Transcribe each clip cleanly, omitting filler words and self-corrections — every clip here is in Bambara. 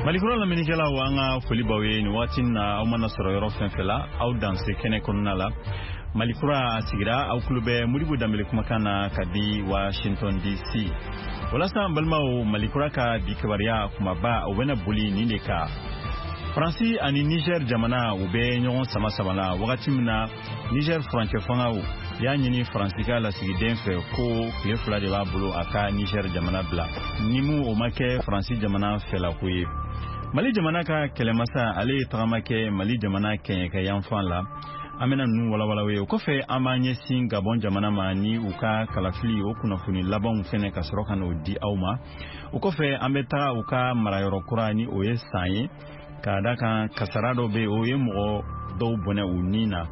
Malikura lamɛnnikɛlaw, an ka foli b'aw ye nin waati in na. Aw mana sɔrɔ yɔrɔ fɛn fɛn la, aw danse kɛnɛ kɔnɔna la. Malikura sigira, aw tulo bɛ Modibo Danbele kumakan na ka di Washington DC. Walasa an balimaw, Malikura ka bi kibaruya kumaba, o bɛna boli nin de kan: Faransi ani Niger jamana, u bɛ ɲɔgɔn sama sama la, wagati min na Niger furancɛ fangaw y'a ɲini Faransi ka lasigiden fɛ ko tile 2 de b'a bolo a ka Niger jamana bila. Ni mun o ma kɛ, Faransi jamana fɛlako ye. Mali jamana ka kɛlɛmasa, ale ye tagama kɛ Mali jamana kɛɲɛkɛ yanfan la. An bɛna ninnu walawala ye. O kɔfɛ, an b'an ɲɛsin Gabɔn jamana ma ni u ka kalafili, o kunnafoni labanw fɛnɛ ka sɔrɔ ka n'o di aw ma. O kɔfɛ, an bɛ taga u ka marayɔrɔ kura, ni o ye San ye, k'a da kan kasara dɔ bɛ yen, o ye mɔgɔ dɔw bɔnɛ u ni na.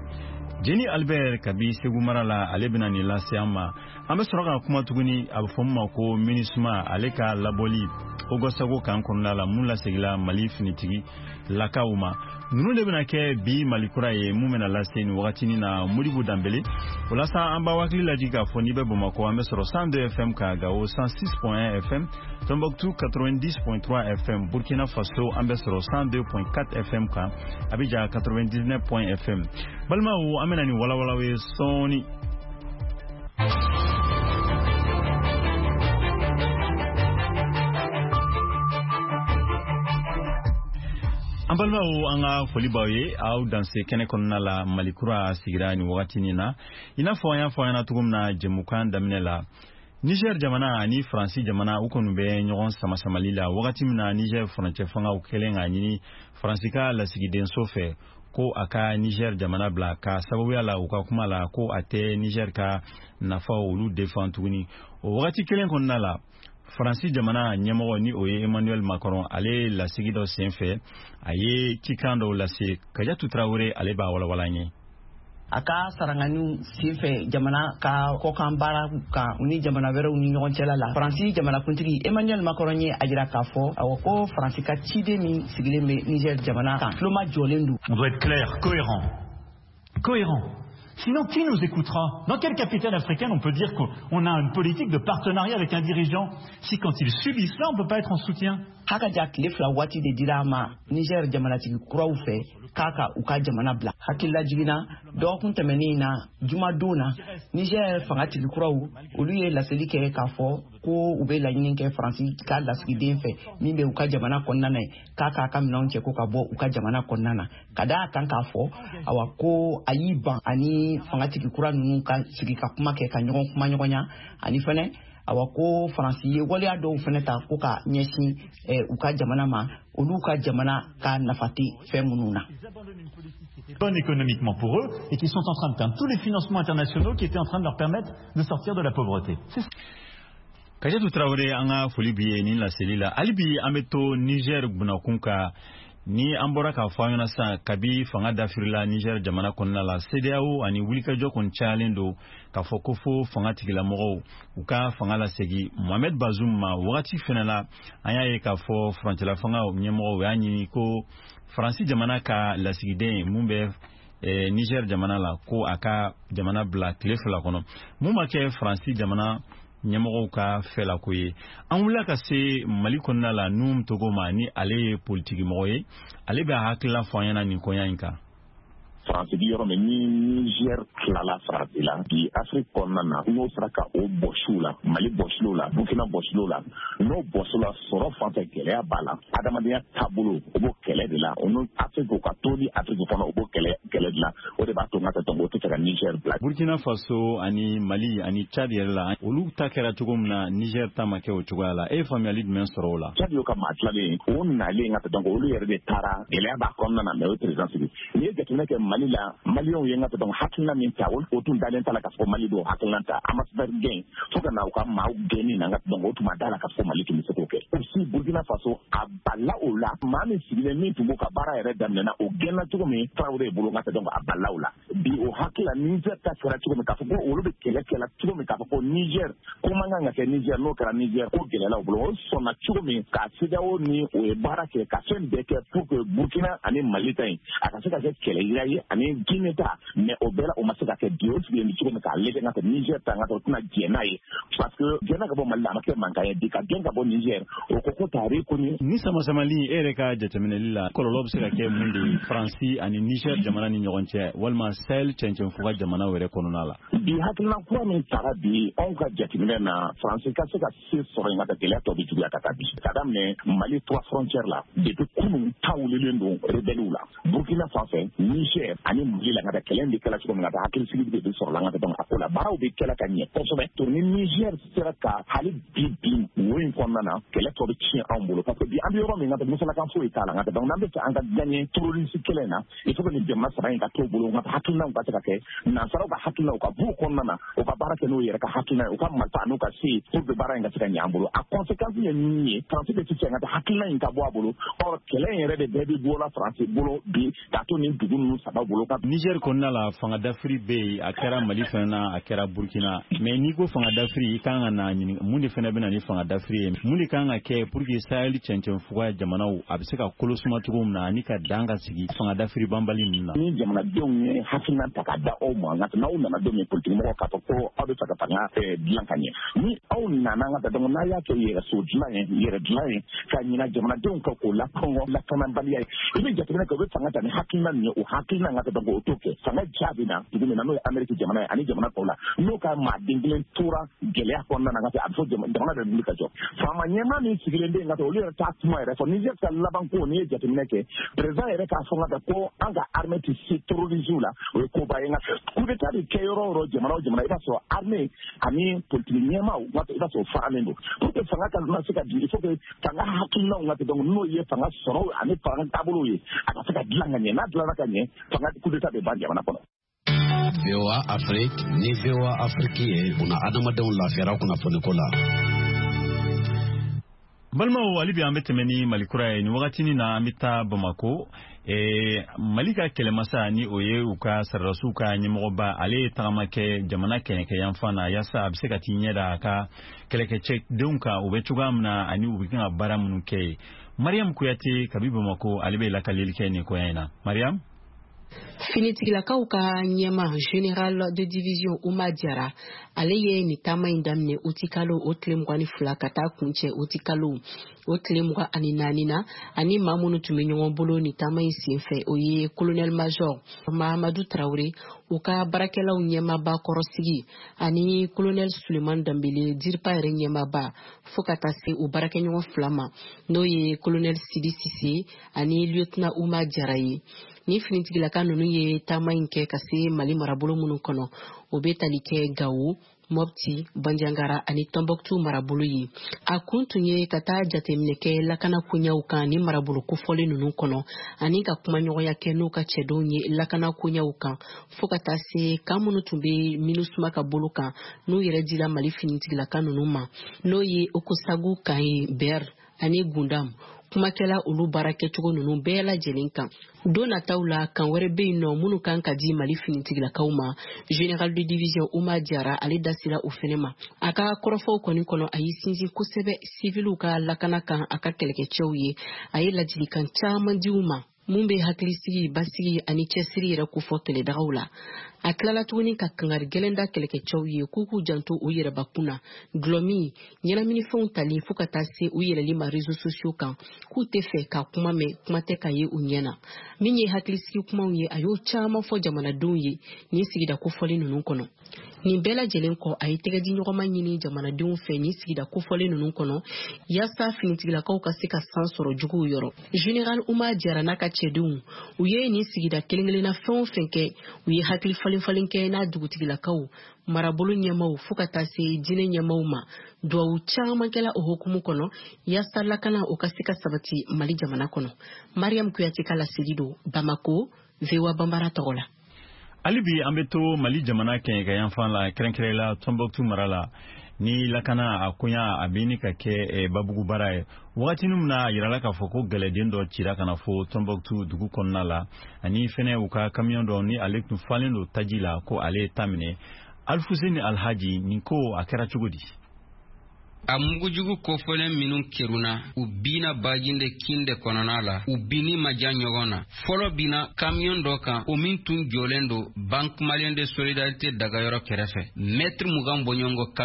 Jeni Albert kabi Segu mara la, ale bɛna nin lase an ma. An bɛ sɔrɔ ka kuma tuguni, a bɛ fɔ min ma ko MINUSMA, ale ka labɔli Ogosago kan kɔnɔna la, mun lasegila Mali finitigi lakaw ma. Ninnu de bɛna kɛ bi Malikura ye, mun bɛna lase nin wagatinin na, Modibo Danbele. O la sa, an b'aw hakili lajigin k'a fɔ n'i bɛ Bamakɔ, an bɛ sɔrɔ 102 FM ka, Gawo 106.1 FM, Tombouctou 90.3 FM, Burkina Faso an bɛ sɔrɔ 102.4 FM kan, Abidjan 99 FM. Balimaw, an bɛna nin walawalaw ye sɔɔni. An balimaw, an ka foli b'aw ye, aw danse kɛnɛ kɔnɔna la. Malikura sigira nin wagatinin na. I n'a fɔ an y'a fɔ an ɲɛna cogo min na jɛmukan daminɛ la, Niger jamana ani Faransi jamana, u kɔni bɛ ɲɔgɔn samasamali la, wagati min na Niger furancɛ fangaw kɛlen k'a ɲini Faransi ka lasigidenso fɛ ko a ka Niger jamana bila, ka sababuya la u ka kuma la ko a tɛ Niger ka nafaw olu défend tuguni. O wagati kelen kɔnɔna la, Faransi jamana ɲɛmɔgɔ, ni o ye Emmanuel Macron, ale ye lasigi dɔ sen fɛ, a ye cikan dɔw lase. Kajatu Tarawele, ale b'a walawala an ye. A ka saranganiw senfɛ jamana ka kɔkan baara kan ni jamana wɛrɛw ni ɲɔgɔn cɛla la, Faransi jamanakuntigi Emmanuel Macron ye a jira k'a fɔ, awɔ, ko Faransi ka ciden min sigilen bɛ Niger jamana kan tuloma jɔlen don. On doit être clair, cohérent. Cohérent. Sinon, qui nous écoutera? Dans quelle capitale africaine on peut dire qu'on a une politique de partenariat avec un dirigeant si quand il subit cela, on ne peut pas être en soutien? Haka ja, tile 2 waati de dira a ma Niger jamanatigi kuraw fɛ k'a ka u ka jamana bila. Hakilila jiginna, dɔgɔkun tɛmɛnen na, jumadon na, Niger fangatigi kuraw, olu ye laseli kɛ k'a fɔ ko u bɛ laɲini kɛ Faransi ka lasigiden fɛ min bɛ u ka jamana kɔnɔna na ye, k'a k'a ka minɛnw cɛ ko ka bɔ u ka jamana kɔnɔna na, ka da a kan k'a fɔ, awa, ko a y'i ban ani fangatigi kura ninnu ka sigi ka kuma kɛ ka ɲɔgɔn kuma ɲɔgɔnya. Ani fɛnɛ, awa, ko Faransi ye waleya dɔw fɛnɛ ta ko ka ɲɛsin u ka jamana ma, olu ka jamana ka nafa tɛ fɛn minnu na. Bonne économiquement pour eux et qui sont en train de perdre tous les financements internationaux qui étaient en train de leur permettre de sortir de la pauvreté. Kajatu Tarawele, an ka foli b'i ye nin laseli la. Hali bi an bɛ to Niger bunakun kan. Ni an bɔra k'a fɔ an ɲɛna sisan, kabi fanga dafirila Niger jamana kɔnɔna la, CEDEAO ani wulikajɔ kɔni cayalen don k'a fɔ ko fo fanga tigilamɔgɔw u ka fanga lasegi Mohamed Bazoum ma. Wagati fɛnɛ la, an y'a ye k'a fɔ furancɛla fanga ɲɛmɔgɔw y'a ɲini ko Faransi jamana ka lasigiden mun bɛ Niger jamana la, ko a ka jamana bila tile 2 kɔnɔ. Mun ma kɛ Faransi jamana ɲɛmɔgɔw ka fɛlako ye. An wulila ka se Mali kɔnɔna la Nuhum Togo ma, ni ale ye politikimɔgɔ ye, ale bɛ a hakilila fɔ an ɲɛna nin koɲa in kan. Faransi bi yɔrɔ min ni Niger tilala Faransi la bi Afiriki kɔnɔna na, n'o sera ka o bɔsiw la, Mali bɔsiw la, Burkina bɔsiw la, n'o bɔsiw la, sɔrɔ fan fɛ gɛlɛya b'a la, adamadenya taabolo o b'o kɛlɛ de la, o n'o Afiriki o ka toli Afiriki kɔnɔ, o b'o kɛlɛ kɛlɛ de la. O de b'a to n ka tɛ o tɛ fɛ ka Niger bila. Burkina Faso ani Mali ani Chad yɛrɛ la, olu ta kɛra cogo min na, Niger ta ma kɛ o cogoya la. E ye faamuyali jumɛn sɔrɔ o la? Chad y'o ka maa tilalen, o nalen ka tɛ donc olu yɛrɛ de taara, gɛlɛya b'a kɔnɔna na, mais o ye président sigi. N'i ye jateminɛ kɛ Mali la, Maliyɛnw ye n ka tɛ donc hakilina min ta, o tun dalen t'a la k'a fɔ Mali b'o hakilina ta. Ambassadeur gɛn fo ka na u ka maaw gɛnni na, n ka donc o tun ma da la k'a fɔ Mali tun bɛ se k'o kɛ. Aussi Burkina Faso, a balila o la, maa min sigilen min tun b'o ka baara yɛrɛ daminɛna, o gɛnna cogo min Tarawele bolo, n ka tɛ donc a balila o la. Bi o hakili la, Niger ta kɛra cogo min, k'a fɔ ko olu bɛ kɛlɛ kɛla cogo min, k'a fɔ ko Niger ko man kan ka kɛ Niger, n'o kɛra Niger ko gɛlɛyala u bolo. O sɔnna cogo min ka CEDEAO ni o ye baara kɛ ka fɛn bɛɛ kɛ pour que Burkina ani Mali ta in a ka se ka kɛ kɛlɛ yira ye. ani Guinée ta, mais o bɛɛ la o ma se ka kɛ. Bi o sigilen bɛ cogo min k'a lajɛ, n ka Niger ta, n ka o tɛna jɛn n'a ye, parce que gɛnna ka bɔ Mali la, a ma kɛ mankan ye. Bi ka gɛn ka bɔ Niger, o ko ko t'a reconnu. Ni sama-samali, e yɛrɛ ka jateminɛli la, kɔlɔlɔ bɛ se ka kɛ mun de ye Faransi ani Niger jamana ni ɲɔgɔn cɛ, walima Sahel cɛncɛnfuga jamanaw yɛrɛ kɔnɔna la? Bi hakilina kura min tara bi, anw ka jateminɛ na, Faransi ka se ka se sɔrɔ yen ka taa, gɛlɛya tɔ bɛ juguya ka taa. Bi ka daminɛ Mali trois frontières la, depuis kunun ta wulilen don rebelles la Burkina fan fɛ, Niger ani Mali la. Ka taa kɛlɛ bɛ kɛla cogo min na, ka hakilisigi de bɛ sɔrɔ la. Ka taa donc a ko la, baaraw bɛ kɛla ka ɲɛ kosɛbɛ. To ni Niger sera ka hali bi bin wo in kɔnɔna na, kɛlɛ tɔ bɛ tiɲɛ anw bolo, parce que bi an bɛ yɔrɔ min na, musalakan foyi t'a la. Nka donc n'an bɛ fɛ an ka gagner terroriste kɛlɛ in na, il faut que nin jamana saba in ka t'o bolo. Nka hakilinaw ka se ka kɛ nansaraw ka hakilinaw ka b'u kɔnɔna na, u ka baara kɛ n'u yɛrɛ ka hakilina ye, u ka marifa n'u ka se pour que baara in ka se ka ɲɛ an bolo. A conséquence ye min ye, Faransi bɛ sisan ka taa hakilina in ka bɔ a bolo. Or kɛlɛ in yɛrɛ de bɛɛ bɛ bɔ la Faransi bolo bi k'a to nin dugu ninnu saba bolo. Niger kɔnɔna la, fanga dafiri bɛ yen, a kɛra Mali fana na, a kɛra Burkina. Mais n'i ko fanga dafiri, i kan ka na ɲini mun de fana bɛ na ni fanga dafiri ye, mun de kan ka kɛ pour que Sahel cɛncɛnfuga jamanaw a bɛ se ka kolo suma cogo min na, ani ka dan ka sigi fanga dafiri banbali ninnu na? Ni jamanadenw ye hakilina ta ka da aw ma, nka n'aw nana don min, politique mɔgɔw k'a fɔ ko aw bɛ fɛ ka fanga dilan ka ɲɛ, ni aw nana, ka taa, donc n'a y'a kɛ yɛrɛso dilan ye, yɛrɛ dilan ye, ka ɲina jamanadenw kan k'o lakɔngɔ lakanabaliya ye, i bɛ jateminɛ kɛ, u bɛ fanga ta ni hakilina min ye, o hakilina, ka taa, donc o t'o kɛ. Fanga jaabi na dugu min na, n'o ye Amérique jamana ye ani jamana tɔw la, n'o ka maaden kelen tora gɛlɛya kɔnɔna na, ka a bɛ fɔ jamana bɛ wuli ka jɔ. Faama ɲɛmaa min sigilen bɛ yen, ka taa, olu yɛrɛ t'a kuma yɛrɛ fɔ. Niger ka laban ko, n'i ye jateminɛ kɛ, président yɛrɛ k'a fɔ ka ko an ka armée tɛ se terrorisme la, o ye koba ye. Nka coup d'état bɛ kɛ yɔrɔ o yɔrɔ, jamana o jamana, i b'a sɔrɔ armée ani politique ɲɛmaaw, i b'a sɔrɔ faralen don pour que fanga ka na se ka di. Il faut que fanga hakilinaw ka donc n'o ye fanga sɔrɔ ani fanga taabolo ye, a ka se ka dilan ka ɲɛ. N'a dilanna ka ɲɛ, fanga coup d'état bɛ ban jamana kɔnɔ. VOA Afrique ni VOA Afrique ye buna adamadenw lafiyara kunnafoniko la. Balimaw, hali bi an bɛ tɛmɛ ni Mali kura ye. Nin wagatinin na, an bɛ taa Bamako. Mali ka kɛlɛmasa, ni o ye u ka sɔrɔdasiw ka ɲɛmɔgɔba, ale ye tagama kɛ jamana kɛɲɛkɛ yanfan na, yaasa a bɛ se ka t'i ɲɛ da a ka kɛlɛkɛcɛdenw kan, u bɛ cogoya min na ani u bɛ kan ka baara minnu kɛ ye. Mariam Kuyate kabi Bamako, ale bɛ lakalili kɛ nin koya in na. Mariam. Finitigilakaw ka ɲɛma, général de division Uma Jara, ale ye nin taama in daminɛ utikalo o tile 22 ka taa kuncɛ utikalo o tile 24 na. Ani maa minnu tun bɛ ɲɔgɔn bolo nin taama in senfɛ, o ye colonel major Mahamadu Tarawele, u ka baarakɛlaw ɲɛmaaba kɔrɔsigi, ani colonel Suleiman Danbele, DIRPA yɛrɛ ɲɛmaaba, fo ka taa se u baarakɛɲɔgɔn fila ma, n'o ye colonel Sidi Sise ani lieutenant Uma Jara ye. Ni finitigilaka ninnu ye taama in kɛ ka se Mali marabolo minnu kɔnɔ, o bɛ tali kɛ Gawo, Mɔpti, Banjangara ani Tɔnbɔkutu marabolo ye. A kun tun ye ka taa jateminɛ kɛ lakana koɲɛw kan ni marabolo kofɔlen ninnu kɔnɔ, ani ka kumaɲɔgɔnya kɛ n'u ka cɛdenw ye lakana koɲɛw kan, fo ka taa se kan minnu tun bɛ MINUSMA ka bolo kan, n'u yɛrɛ dira Mali finitigilaka ninnu ma, n'o ye Okosagu kan ye, Bɛr ani Gundam. Kumakɛla olu baara kɛcogo ninnu bɛɛ lajɛlen kan. Don nataw la, kan wɛrɛ bɛ yen nɔ minnu kan ka di Mali finitigilakaw ma. Général de division Uma Jara, ale da sera o fɛnɛ ma. A ka kɔrɔfɔw kɔni kɔnɔ, a y'i sinsin kosɛbɛ siviliw ka lakana kan a ka kɛlɛkɛcɛw ye. A ye ladilikan caman di u ma mun bɛ hakilisigi, basigi ani cɛsiri yɛrɛ kofɔ kɛlɛdagaw la. A tilala tuguni ka kangari gɛlɛn da kɛlɛkɛcɛw ye k'u k'u janto u yɛrɛbakun na, gulɔmin, ɲɛnaminifɛnw tali, fo ka taa se u yɛlɛli ma réseaux sociaux kan, k'u tɛ fɛ ka kuma mɛn, kuma tɛ ka ye u ɲɛ na. Min ye hakilisigi kumaw ye, a y'o caman fɔ jamanadenw ye nin sigida kofɔlen ninnu kɔnɔ. Nin bɛɛ lajɛlen kɔ, a ye tɛgɛdiɲɔgɔnma ɲini jamanadenw fɛ nin sigida kofɔlen ninnu kɔnɔ, yaasa finitigilakaw ka se ka san sɔrɔ juguw yɔrɔ. Général Uma Jara n'a ka cɛdenw, u ye nin sigida kelen kelenna fɛn o fɛn kɛ, u ye hakili falen falen kɛ n'a dugutigilakaw, marabolo ɲɛmaw, fo ka taa se diinɛ ɲɛmaw ma. Duwawu caman kɛla o hukumu kɔnɔ, yaasa lakana o ka se ka sabati Mali jamana kɔnɔ. Mariam Kuyate ka laseli don Bamako, VOA Banbara tɔgɔ la. Hali bi an bɛ to Mali jamana kɛɲɛka yanfan la, kɛrɛnkɛrɛn la Tɔnbɔkutu mara la, ni lakana a koɲa a bɛ ɲini ka kɛ babugu baara ye. Wagatinin min na a yirala k'a fɔ ko gɛlɛden dɔ cira ka na fo Tɔnbɔkutu dugu kɔnɔna la, ani fɛnɛ u ka kamiyɔn dɔ ni ale tun falen don taji la, ko ale ye ta minɛ. Alifuseni Alhaji, nin ko a kɛra cogo di? A mugujugu kofɔlen minnu kerunna, u binna Bajinde kin de kɔnɔna la. U binni ma jan ɲɔgɔn na. Fɔlɔ binna kamiyɔn dɔ kan, o min tun jɔlen don Banque Malienne de Solidarité dagayɔrɔ kɛrɛfɛ, mɛtiri 20 bɔɲɔgɔnko.